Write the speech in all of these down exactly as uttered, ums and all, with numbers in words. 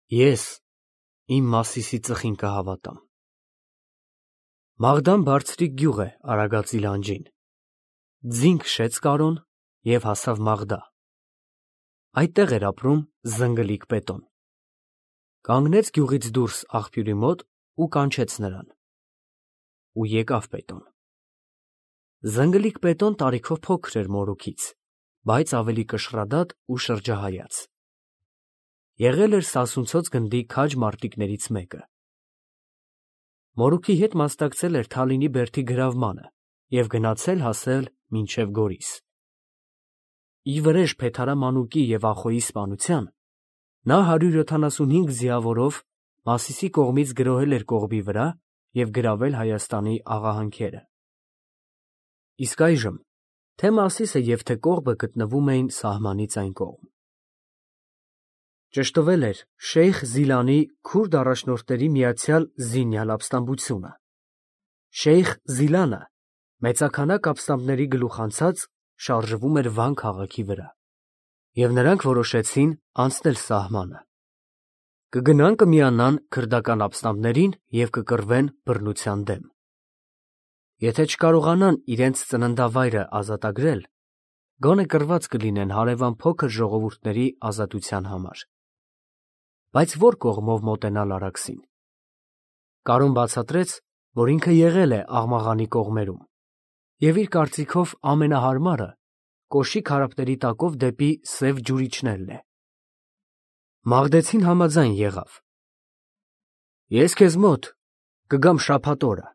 Ես իմ Մասիսի ծխին կհավատամ։ Մաղդան բարձրիկ գյուղ է Արագածի լանջին։ Ձին քշեց Կարոն և հասավ Մաղդա։ Այդտեղ էր ապրում զնգլիկ Պետոն։ Կանգնեց գյուղից դուրս աղբյուրի մոտ ու կանչեց նրան։ Ու եկավ Պետոն։ Զնգլիկ Պետոն տարիքով փոքր էր մորուքից, բայց ավելի կշռադատ ու շրջահայաց։ Եղել էր սասունցոց գնդի քաջ մարտիկներից մեկը։ Մորուքի հետ մասնակցել էր Թալինի բերդի գրավմանը և գնացել հասել մինչև Գորիս։ Ի վրեժ Փեթարամանուկի և Ախոյի սպանության նա հարյուր յոթանասունհինգ ձիավորով Մասիսի կողմից գրոհել էր կողմի վրա և գրավել Հայաստանի աղահանքերը։ Իսկ այժմ թե Մասիսը և թե կողբը գտնվում էին սահմանից այն կողմ։ Ճշտվել էր Շեյխ Զիլանի քուրդ առաջնորդների միացյալ զինյալ ապստամբությունը։ Շեյխ Զիլանը մեծաքանակ ապստամբների գլուխանցած շարժվում էր Վան քաղաքի վրա, և նրանք որոշեցին անցնել սահմանը։ Կգնան կմիանան քրդական ապստամբներին և կկռվեն բռնության դեմ։ Եթե չկարողանան իրենց ծննդավայրը ազատագրել, գոնե կռված կլինեն հարևան փոքր ժողովուրդների ազատության համար։ Բայց ո՞ր կողմով մոտենալ Արաքսին։ Կարոն բացատրեց, որ ինքը եղել է Աղմաղանի կողմերում, և իր կարծիքով ամենահարմարը Կոշի քարափների տակով դեպի Սև ջուր իջնելն է։ Մաղդեցին համաձայն եղավ։ Ես քեզ մոտ կգամ շաբաթ օրը,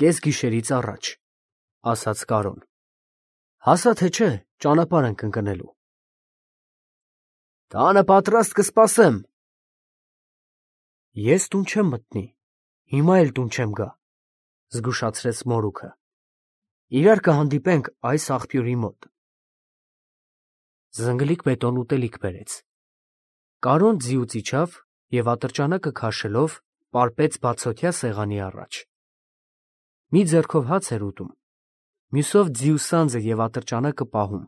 կեսգիշերից առաջ, ֊ ասաց Կարոն, ֊ հասա թե չէ ճանապարհ ենք ընկնելու։ Տանը պատրաստ կսպասեմ։ Ես տուն չեմ մտնի, հիմա էլ տուն չեմ գա, ֊ զգուշացրեց մորուքը։ Իրար կհանդիպենք այս աղբյուրի մոտ։ Զնգլիկ Պետոն ուտելիք բերեց։ Կարոն ձիուց իջավ և ատրճանակը քաշելով պարպեց բացօթյա սեղանի առաջ։ Մի ձեռքով հաց էր ուտում, մյուսով ձիու սանձը և ատրճանակը պահում։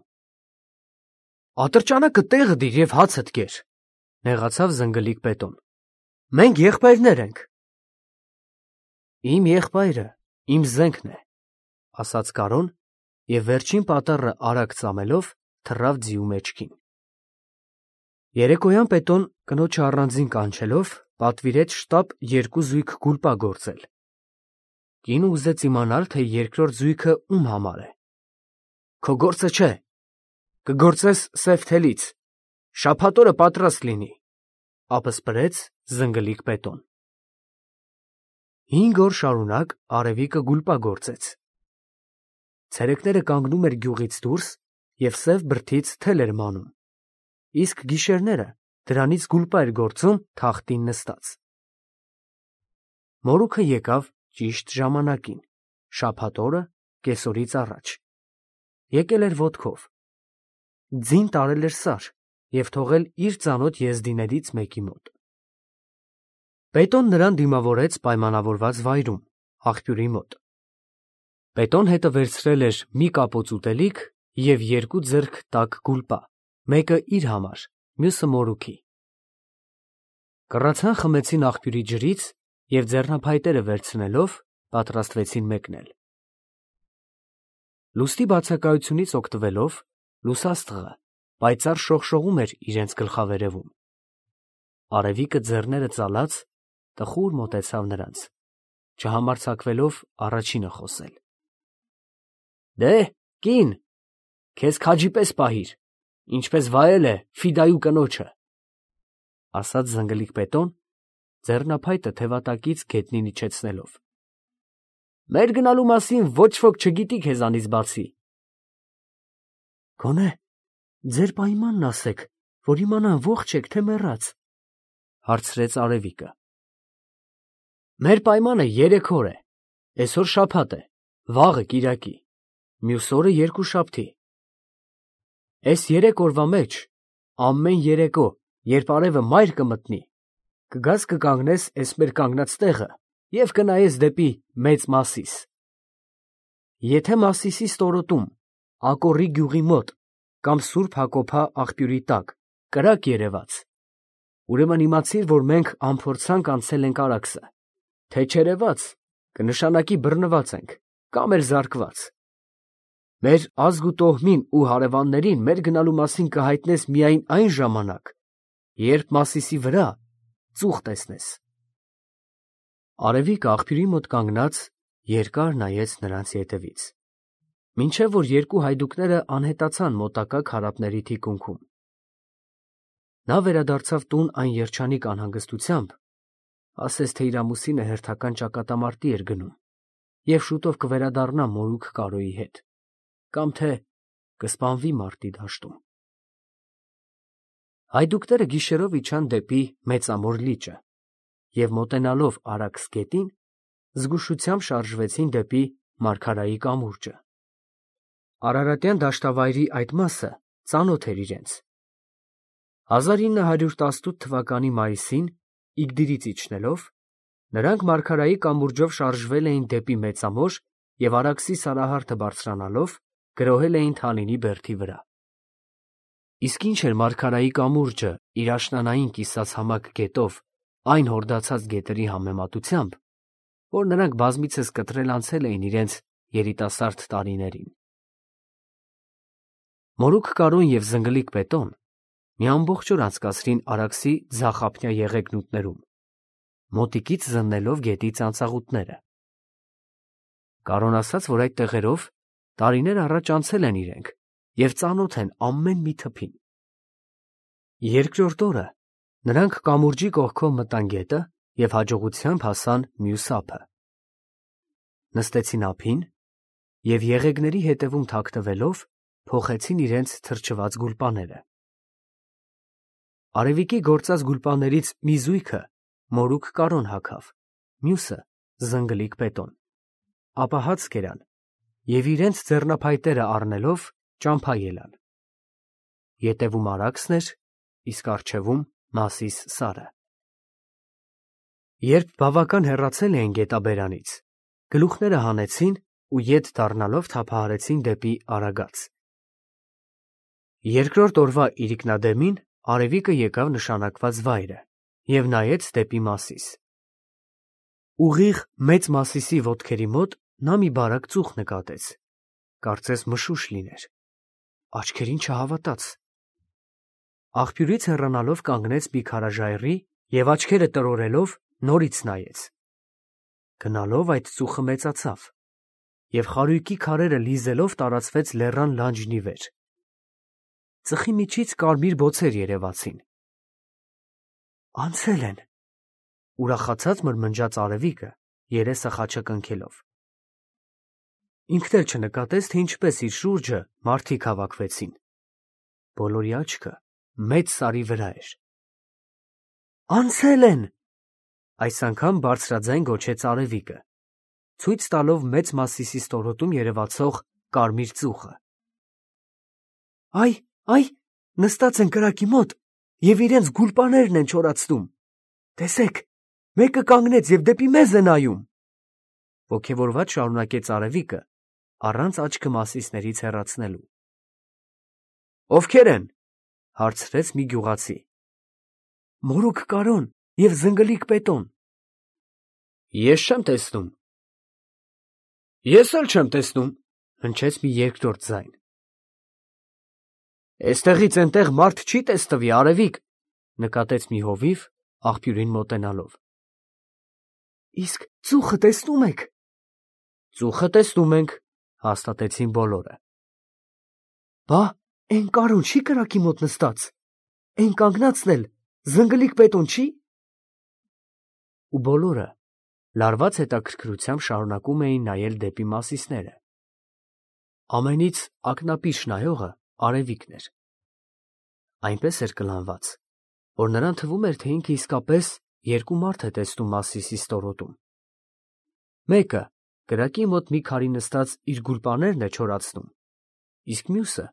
Ատրճանակը տեղը դիր և հացդ կեր, ֊ նեղացավ Զնգլիկ Պետոն։ Մենք եղբայրներ ենք։ Իմ եղբայրը իմ զենքն է, ֊ ասաց Կարոն և վերջին պատառը արագ ծամելով թռավ ձիու մեջքին։ Երեկոյան Պետոն կնոջը առանձին կանչելով պատվիրեց շտապ երկու զույգ գուլպա գործել։ Կինը ուզեց իմանալ, թե երկրորդ զույգը ում համար է։ Քո գործը չէ, կգործես Սև թելից, շաբաթ օրը պատրաստ լինի, ֊ ապսպրեց Զնգլիկ Պետոն։ Հինգ օր շարունակ արևիկը գուլպա գործեց։ Ցերեկները կանգնում էր գյուղից դուրս և սև բրդից թել էր մանում, իսկ գիշերները դրանից գուլպա էր գործում թախտին նստած։ Մորուքը եկավ ճիշտ ժամանակին, շաբաթ օրը կեսօրից առաջ։ Եկել էր ոտքով։ Ձին տարել էր Սար և թողել իր ծանոթ եզդիներից մեկի մոտ։ Պետոն նրան դիմավորեց պայմանավորված վայրում, աղբյուրի մոտ։ Պետոն հետը վերցրել էր մի կապոց ուտելիք և երկու ձեռք տաք գուլպա, մեկը իր համար, մյուսը մորուքի։ Կռացան խմեցին աղբյուրի ջրից և ձեռնափայտերը վերցնելով պատրաստվեցին մեկնել։ Լուսնի բացակայությունից օգտվելով լուսաստղը պայծառ շողշողում էր իրենց գլխավերևում։ Արևիկը ձեռները ծալած տխուր մոտեցավ նրանց, չհամարձակվելով առաջինը խոսել։ Դե, կին, քեզ քաջի պես պահիր, ինչպես վայել է Ֆիդայի կնոջը, ֊ ասաց Զնգլիկ Պետոն, ձեռնափայտը թևատակից գետնին իջեցնելով։ Մեր գնալու մասին ոչ ոք չգիտի քեզանից բացի։ Գոնե ձեր պայմանն ասեք, որ իմանան ողջ եք, թե մեռած, ֊ հարցրեց արևիկը։ Մեր պայմանը երեք օր է, էսօր շաբաթ է, վաղը կիրակի, մյուս օրը երկուշաբթի։ Էս երեք օրվա մեջ ամեն երեկո, երբ արևը մայր կմտնի, կգաս կկանգնես էս մեր կանգնած տեղը և կնայես դեպի Մեծ Մասիս։ Եթե Մասիսի ստորոտում, Ակոռի գյուղի մոտ կամ Սուրբ Հակոբհա աղբյուրի տակ կրակ երևաց, ուրեմն իմացիր, որ մենք անփորձանք անցել ենք Արաքսը, թե չերևաց, կնշանակի բռնված ենք, կամ էլ զարկված։ Մեր ազգ ու տոհմին ու հարևաններին մեր գնալու մասին կհայտնես միայն այն ժամանակ, երբ Մասիսի վրա ծուխ տեսնես։ Արևիկը աղբյուրի մոտ կանգնած երկար նայեց նրանց ետևից, մինչև որ երկու հայդուկները անհետացան մոտակա քարափների թիկունքում։ Նա վերադարձավ տուն այն երջանիկ անհանգստությամբ, ասես թե իր ամուսինը հերթական ճակատամարտի էր գնում և շուտով կվերադառնա մորուք Կարոյի հետ, կամ թե կսպանվի մարտի դաշտում։ Հայդուկները գիշերով իջան դեպի Մեծամոր լիճը և մոտենալով Արաքս գետին, զգուշությամբ շարժվեցին դեպի Մարգարայի կամուրջը։ Արարատյան դաշտավայրի այդ մասը ծանոթ էր իրենց։ հազար ինը հարյուր տասնութ թվականի մայիսին, Իգդիրից իջնելով, նրանք Մարգարայի կամուրջով շարժվել էին դեպի Մեծամոր և Արաքսի սարահարթը բարձրանալով գրոհել էին Թանինի բերդի վրա։ Իսկ ինչ էր Մարգարայի կամուրջը իր աշնանային կիսացամաք գետով այն հորդացած գետերի համեմատությամբ, որ նրանք բազմիցս կտրել անցել էին իրենց երիտասարդ տարիներին։ Մորուք Կարոն և զնգլիկ Պետոն մի ամբողջ օր անցկացրին Արաքսի ձախափնյա եղեգնուտներում, մոտիկից զննելով գետի ծանծաղուտները։ Կարոն ասաց, որ այդ տեղերով տարիներ առաջ անցել են իրենք և ծանոթ են ամեն մի թփին։ Երկրորդ օրը նրանք կամուրջի կողքով մտան գետը և հաջողությամբ հասան մյուս ափը։ Նստեցին ափին և եղեգների հետևում թաքնվելով փոխեցին իրենց թրջված գուլպաները։ Արևիկի գործած գուլպաներից մի զույգը մորուք Կարոն հագավ, մյուսը զնգլիկ Պետոն, ապա հաց կերան և իրենց ձեռնափայտերը առնելով ճամփա ելան։ Ետևում Արաքսն էր, իսկ առջևում Մասիս սարը։ Երբ բավական հեռացել էին գետաբերանից, գլուխները հանեցին ու ետ դառնալով թափահարեցին դեպի Արագած։ Երկրորդ օրվա իրիկնադեմին Արևիկը եկավ նշանակված վայրը և նայեց դեպի Մասիս։ Ուղիղ Մեծ Մասիսի ոտքերի մոտ նա մի բարակ ծուխ նկատեց, կարծես մշուշ լիներ, աչքերին չհավատաց։ Աղբյուրից հեռանալով կանգնեց մի քարաժայռի և աչքերը տրորելով նորից նայեց։ Գնալով այդ ծուխը մեծացավ և խարույկի քարերը լիզելով տարածվեց լեռան լանջն ի վեր։ Ծխի միջից կարմիր բոցեր երևացին։ Անցել են, ուրախացած մրմնջաց Արևիկը, երեսը խաչակնքելով։ Ինքն էլ չնկատեց, թե ինչպես իր շուրջը մարդիկ հավաքվեցին։ Բոլորի աչքը մեծ սարի վրա էր։ Անցել են, այս անգամ բարձրաձայն գոչեց Արևիկը, ցույց տալով Մեծ Մասիսի ստորոտում երևացող կարմիր ծուխը։ Այ, այ, նստած են կրակի մոտ և իրենց գուլպաներն են չորացնում։ Տեսեք, մեկը կանգնեց և դեպի մեզ է նայում, ոգևորված շարունակեց Արևիկը, առանց աչքը Մասիսներից հեռացնելու։ Ովքեր են, հարցրեց մի գյուղացի։ Մորուք Կարոն և զնգլիկ Պետոն։ Ես չեմ տեսնում։ Ես էլ չեմ տեսնում, հնչեց մի երկրորդ ձայն։ Էստեղից էնտեղ մարդ չի տեսնվի, Արևիկ, նկատեց մի հովիվ, աղբյուրին մոտենալով։ Իսկ ծուխը տեսնում եք։ Ծուխը տեսնում ենք, հաստատեցին բոլորը։ Բա, էն Կարոն չի կրակի մոտ նստած, էն կանգնածն էլ զնգլիկ Պետոն չի։ Ու բոլորը լարված հետաքրքրությամբ շարունակում էին նայել դեպի Մասիսները։ Ամենից ակնապիշ նայողը Արևիկն էր։ Այնպես էր կլանված, որ նրան թվում էր, թե ինքը իսկապես երկու մարդ է տեսնում Մասիսի ստորոտում։ Մեկը կրակի մոտ մի քարի նստած իր գուլպաներն է չորացնում, իսկ մյուսը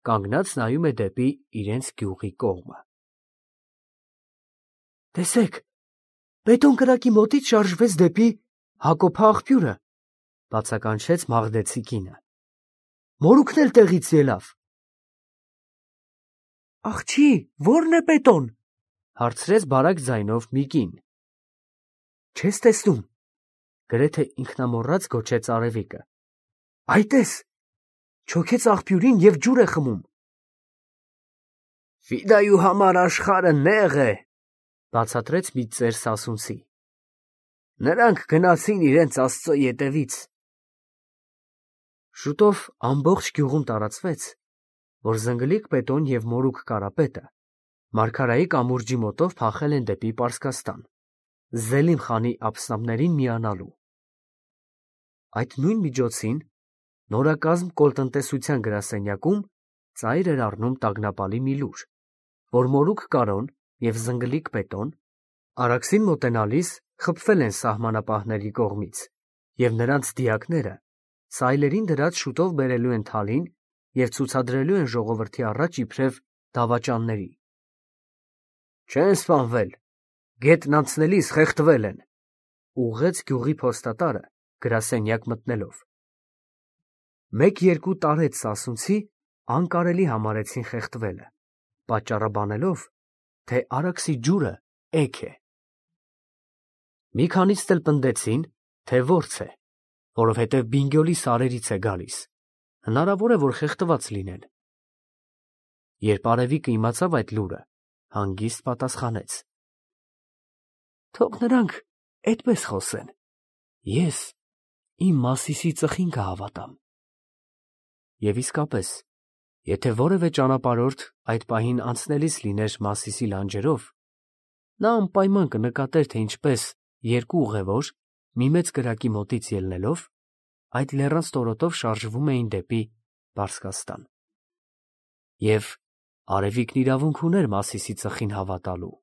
կանգնած նայում է դեպի իրենց գյուղի կողմը։ Տեսեք, Պետոն կրակի մոտից շարժվեց դեպի Հակոբհ աղբյուրը, բացականչեց Մաղդեցի կինը։ Մորուքն էլ տեղից ելավ։ Աղջի, ո՞րն է Պետոն, Հարցրեց բարակ ձայնով մի կին։ Չես տեսնում, գրեթե ինքնամոռաց գոչեց արևիկը։ Այ տես, չոքեց աղբյուրին և ջուր է խմում։ Ֆիդայու համար աշխարհը նեղ է, բացատրեց մի ծեր սասունցի։ Նրանք գնացին իրենց Աստծո ետևից։ Շուտով ամբողջ գյուղում տարածվեց, որ Զնգլիկ Պետոն և Մորուք Կարապետը Մարգարայի կամուրջի մոտով փախել են դեպի Պարսկաստան, Զելիմ խանի ապստամբներին միանալու։ Այդ նույն միջոցին նորակազմ կոլտնտեսության գրասենյակում ծայր էր առնում տագնապալի մի լուր, որ Մորուք Կարոն և Զնգլիկ Պետոն Արաքսին մոտենալիս խփվել են սահմանապահների կողմից, և նրանց դիակները սայլերին դրած շուտով բերելու են թալին և ցուցադրելու են ժողովրդի առաջ իբրև դավաճանների։ Չեն սպանվել, գետն անցնելիս խեղդվել են, ուղղեց գյուղի փոստատարը գրասենյակ մտնելով։ Մեկ-երկու տարեց սասունցի անկարելի համարեցին խեղդվելը, պատճառաբանելով, թե Արաքսի ջուրը էգ է։ Մի քանիսն էլ պնդեցին, թե որց է, որովհետև Բինգյոլի սարերից է գալիս, հնարավոր է, որ խեղդված լինեն։ Երբ արևիկը իմացավ այդ լուրը, հանգիստ պատասխանեց. Թող նրանք այդպես խոսեն, ես իմ Մասիսի ծխին կհավատամ։ Եվ իսկապես, եթե որևէ ճանապարհորդ այդ պահին անցնելիս լիներ Մասիսի լանջերով, նա անպայման կնկատեր, թե ինչպես երկու ուղևոր, մի մեծ կրակի մոտից ելնելով, այդ լեռան ստորոտով շարժվում էին դեպի Պարսկաստան։ Եվ արևիկն իրավունք ուներ Մասիսի ծխին հավատալու։